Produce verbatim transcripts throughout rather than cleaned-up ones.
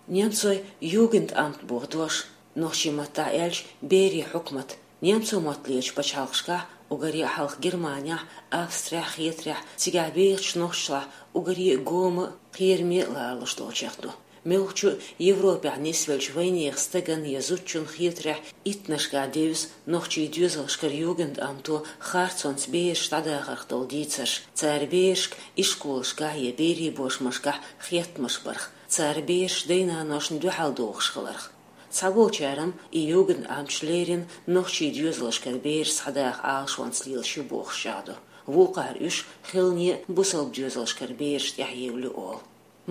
Немцойн Югендамт боху дош, нохчийн маттахь аьлча, берийн хьукмат, немцойн мотт лелачу пачхьалкхашкахь, уггаре а хьалха Германехь, Австрехь, Хетарехь, цигахь бехачу нохчашлахь уггаре а гома а, кхераме а ларалуш долчех ду. Муьлххачу а Европехь нисвеллачу вайнехан стагана я зудчунна Хетарехь иттаннашкахь девза нохчийн доьзалшкара Югендамто харцонца бераш дӀадахарх долу дийцарш, цара берашка ишколашкахь я берийн бошмашкахь хеттамаш барх, цара бераш дай-наношна дуьхьал дохуш хиларх. Цхьаболчара-м и Югендамташ леррина нохчийн доьзалшкара бераш схьадаха Ӏалашонца лелаш ю бохуш чӀагӀдо. Вукхара уьш хилане а бусалба доьзалшкара бераш тӀехь евлла ю олу.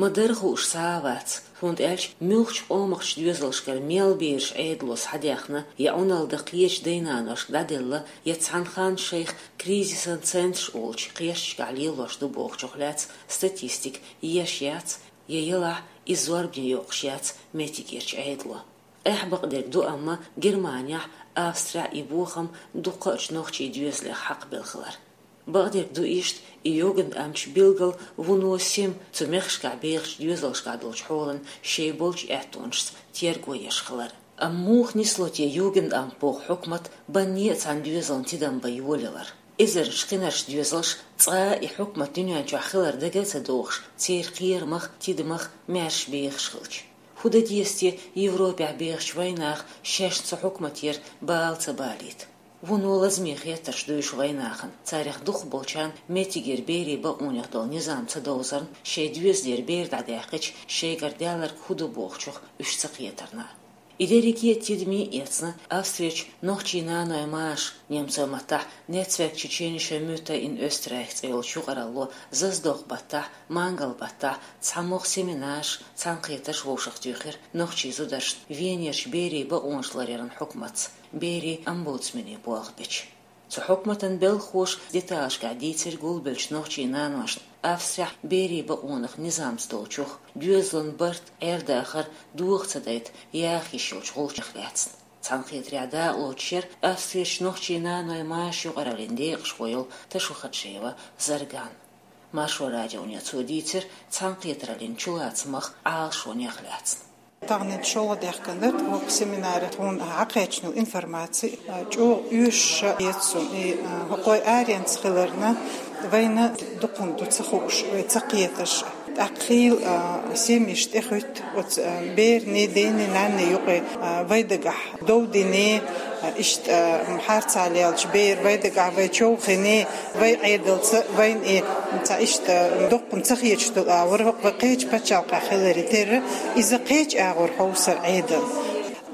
Ма-дарра хууш схьа а вац, хӀунда аьлча муьлххачу къомахчу доьзалшкара мел бераш Ӏедало схьадаьхна я Ӏуналла дан кхечу дай-наношка дӀаделла, я цхьана ханна шайх кризисан центраш олучу кхерчашкахь лелош ду бохучух лаьцна статистика еш яц, я елахь, иза зорбане йоккхуш яц меттигерчу Ӏедало. Къаьхьа бакъдерг ду, амма Германехь, Австрехь и бохам дуккхачу нохчийн доьзалех хьакхабелла хилар. Бакъдерг ду иштта, и Югендамташ билггал вуно сема цу мехкашкахь бехачу доьзалшкахь долчу хьолан шайн болчу аьттонашца терго еш хилар. Амма муха нисло те Югендамт боху хьукмат банне а цхьана доьзална тидам бан йолаялар? Эзарнаш кхинарш доьзалш цкъа а и хьукмат дуьнен чохь хилар дага а ца дохуш, церан кхерамах, тидамах маьрша бехаш хилча. ХӀун дан деза те Европехь бехачу вайнаха шаьш цу хьукматера бала ца балийта? Вуно лазаме хеттарш ду уьш вайнахана, царах дукхахболчарна меттигера берийн бакъонех долу низам ца довзарна, шайн доьзалера бер дӀадаьккхича, шайгара даьлларг хӀун ду бохучух уьш ца кхетарна. И дерриге а тидаме а эцна, Австрерчу нохчийн нанойн маша, немцойн маттахь Netzwerk Tschetscheenischer Mütter in Österreich цӀе йолчу юкъаралло, заздокху баттахь, мангал баттахь цхьамогӀа семинарш, цхьаьнакхетарш вовшахтуьйхира нохчийн зударшна Венерчу берийн бакъонаш ларъяран хьукматца, берийн омбудсменийн болх бечу. Цу хьукматан белхахоша деталашкахь дийцира гулбеллачу нохчийн наношна Австрехь берийн бакъонах низамца долчух, доьзалан барт, Ӏер-дахар доха ца дайта яха йиш йолчу гӀулчех лаьцна. Цхьаьнакхетарехь дакъалоцуш яра Австрерчу нохчийн нанойн маша юкъараллин декъашхо йолу Ташухаджиева Зарган. Маршо радионе цо дийцира цхьаьнакхетараллин чулацамах, Ӏалашонех лаьцна. Тахана шолгӀа даьхкина дара тхо семинаре, тхуна хьакхаьчна информаци, а, чӀогӀа оьшуш а хета суна. И, а, хӀокхой аренца хиларна, вайна дукха хӀума ду ца хууш, вай ца кхеташ. ТӀаккха хийла, а, семьяш тӀехуьтту оцу, а, берийн, ден, нанна юкъе, а, вай дагахь дов дина, а, иштта, а, харцахьа леллачу бер вай дагахь вай човхийна, вай Ӏедалца вайна и цхьа иштта доккха хӀума ца хеташ долу агӀор, хӀокху вай кхечу пачхьалкхехь хиларе терра, иза кхечу агӀор хьовсар Ӏедал.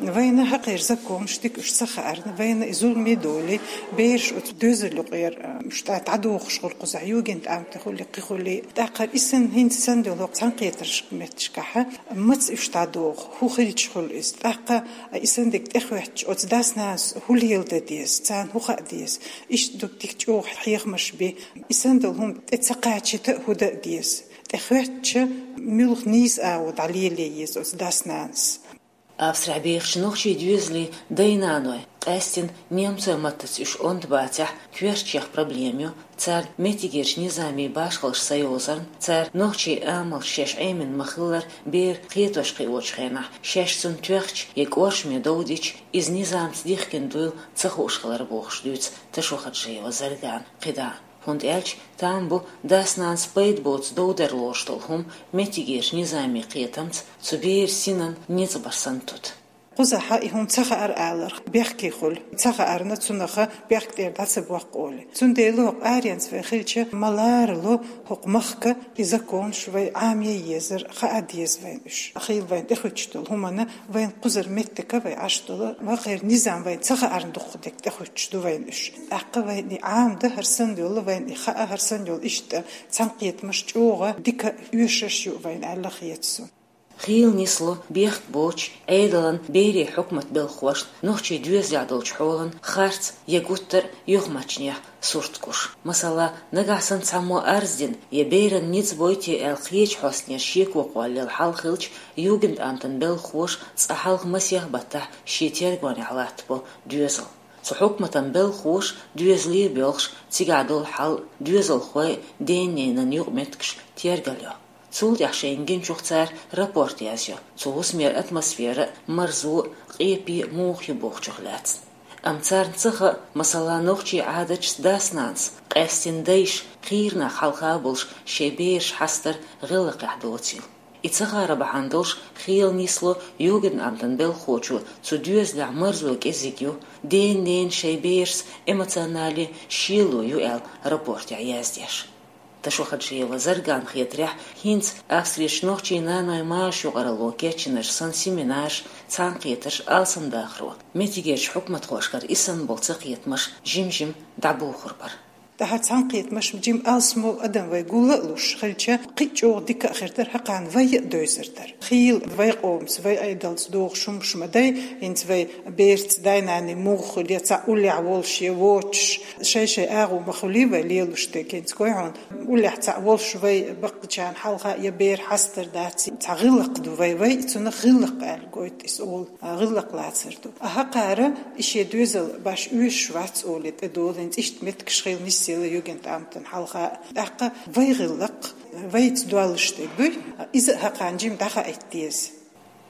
Вайна хӀокхеран законаш дика уьш ца хаарна, вайна и зуламе долий, бераш оцу доьзал юкъера, а, уьш тӀе дӀадохуш хуьлу кхузахь, Югендамте хуьлий, кхин хуьлий. ТӀаккха и санна, хӀинца санна долу хӀокху цхьаьнакхетарш меттигашкахь маца уьш дӀадоху, хӀун хилча хуьлу иза? ТӀаккха и санна дерг тӀехӀоьттича, оцу дас-нанас хӀун леладан деза, царна хӀун хаа деза? Иштта дукха дика чӀогӀа хьехамаш бен. И санна долу хӀума тӀе ца кхачийта а хӀун дан а деза? ТӀехӀоьттича, муьлха нийса агӀо дӀалеле еза оцу дас-нанас? Австрехь бехачу нохчийн доьзалийн дай-наной, къаьсттина немцойн маттаца уьш онда бацахь, коьртачех проблема ю, царна меттигерчу низамийн башхаллаш ца йовзарна, цара нохчийн амалш шаьш Ӏемина ма-хиллара, бер кхетош-кхиочу хенахь, шаьш цунна тоьхча я кӀоршаме дов дича, иза низамца дихкина дуйла ца хууш хилар бохуш дуьйцу Ташухаджиева Заргана кхидӀа. ХӀунда аьлча там бу дас-нанас пайда боцу дов дар лоруш долу хӀума меттигерчу низамийн кхетамца цу беран синан ницкъ бар санна тута. Кхузахь и хӀума ца хаьара аларх, бехке хуьлу, ца хаарна цунах бехк тӀера дӀа ца боккху олий. Цундела хӀокху аренца вай хилча, ма ларало хӀокху махка и законаш вай Ӏамае езара, хаа деза вайна уьш. Хийла вайна тӀехуьттуш долу хӀуманна вайна кхузара меттиг вай Ӏаш долу, вакхеран низам вайна ца хаарна дуккха дерг тӀехуьттуш ду вайна уьш. ТӀаккха вайна и Ӏамадан хӀара санна йолу, вайна и хаа хӀара санна йолу иштта цхьаьнакхетамаш чӀогӀа дика оьшуш ю вайна аьлла хета суна. Хийла нисло бехк боцучу Ӏедалан, берийн хьукмат белхахошна нохчийн доьзалехь долчу хьолан харц я гуттар а юхамаьршачех сурт гуш. Масала, нагахь санна цхьаммо арз дина я беран ницкъ бойти аьлла кхечу хьостанера шеко кхоллаелла хьал хилча, Югендамтан белхахоша цкъа хьалха масех баттахь шен тергонехь латтабо доьзал. Цу хьукматан белхахоша доьзале а боьлхуш, цигахь долу хьал а, доьзалхойн а, ден-ненан юкъаметтигаш а тергалйо. Цул тӀаьхьа шайна гинчух цара рапорт язйо цу хӀусамера атмосфера, марзо, къепе муха ю бохучух лаьцна. Амма царна ца хаьа, масала, нохчий Ӏадаташца дас-нанас, къаьстина дайша, хийра нах хьалха а болуш, шайн бераш хьастар гӀиллакхехь доцийла. И ца хаар бахьана долуш хела нисло Югендаmt-ан белхахочо, цу доьзалехь марзо кӀезиг ю, ден-ненан шайн берашца эмоционале шело ю аьлла рапортехь яздеш. Ташохаджиева Заргана хетарехь, хӀинца Австрерчу нохчийн наной машан юкъаралло кечйинарш санна семинарш, цхьаьнакхетарш алсамдахаро, меттигерчу хьукматхошкара и санна болу цакхетамаш жим-жима дӀабохур бара. Тахьара цхьаьнакхетамаш жима алсамо адам вай гул а луш хилча, кхин а чӀогӀа дика а хир дара, хӀокхарна вай а девзар дара. Хийла вай къомаца, вай Ӏедалца догӀуш хӀумнаш ма дай, хӀинца вай бераца дай-наной муха хуьлу, я цхьаъ уллехь волуш, я воцуш, шай-шай агӀо ма хуьлий вай лелош дерг, хӀинца гой хьуна, уллехь цхьаъ волуш вай баккхийчарна хьалха я бер хьастар дац, цхьа гӀиллакх ду вай, вай цунах гӀиллакх аьлла гойту иза олу, а, гӀиллакх лацар ду. А хӀокхара и шен доьзал баш оьшуш вац олий тӀедолу, хӀинца иштта меттигаш хила нисъелла Югендаmt-ан хьалха. ТӀаккха вай гӀиллакх, вайца долуш дерг дуй, иза а хӀокхарна жима дӀахаийта деза.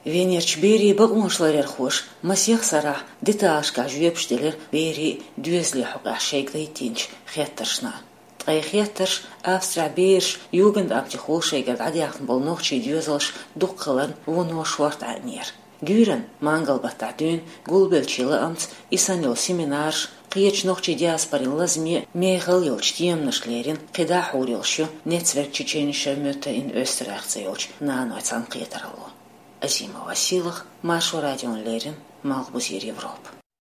Венерчу берийн бакъонаш ларъярхоша масех сарахь деталашкахь жоьпаш делира берийн доьзалийн хьокъехь шайга дайтинчу хеттаршна. Ткъа и хеттарш Австрехь бераш Югендамте хуьлу шайгара дӀадаьхна болу нохчийн доьзалш дукха хиларна вуно шорта Ӏаьнера. Дуьйранна, мангал-баттахь дуьйна гулбеллачийн лаамца, и санна йолу семинарш, кхечу нохчийн диаспорин лазаме мехала йолчу теманаш лерина кхидӀа а хьур йолуш ю Netzwerk Tschetscheenischer Mütter in Österreich цӀе йолчу наной цхьаьнакхетаралло. Азима Василах, Маршо радиона леррина, Малхбузера Европа.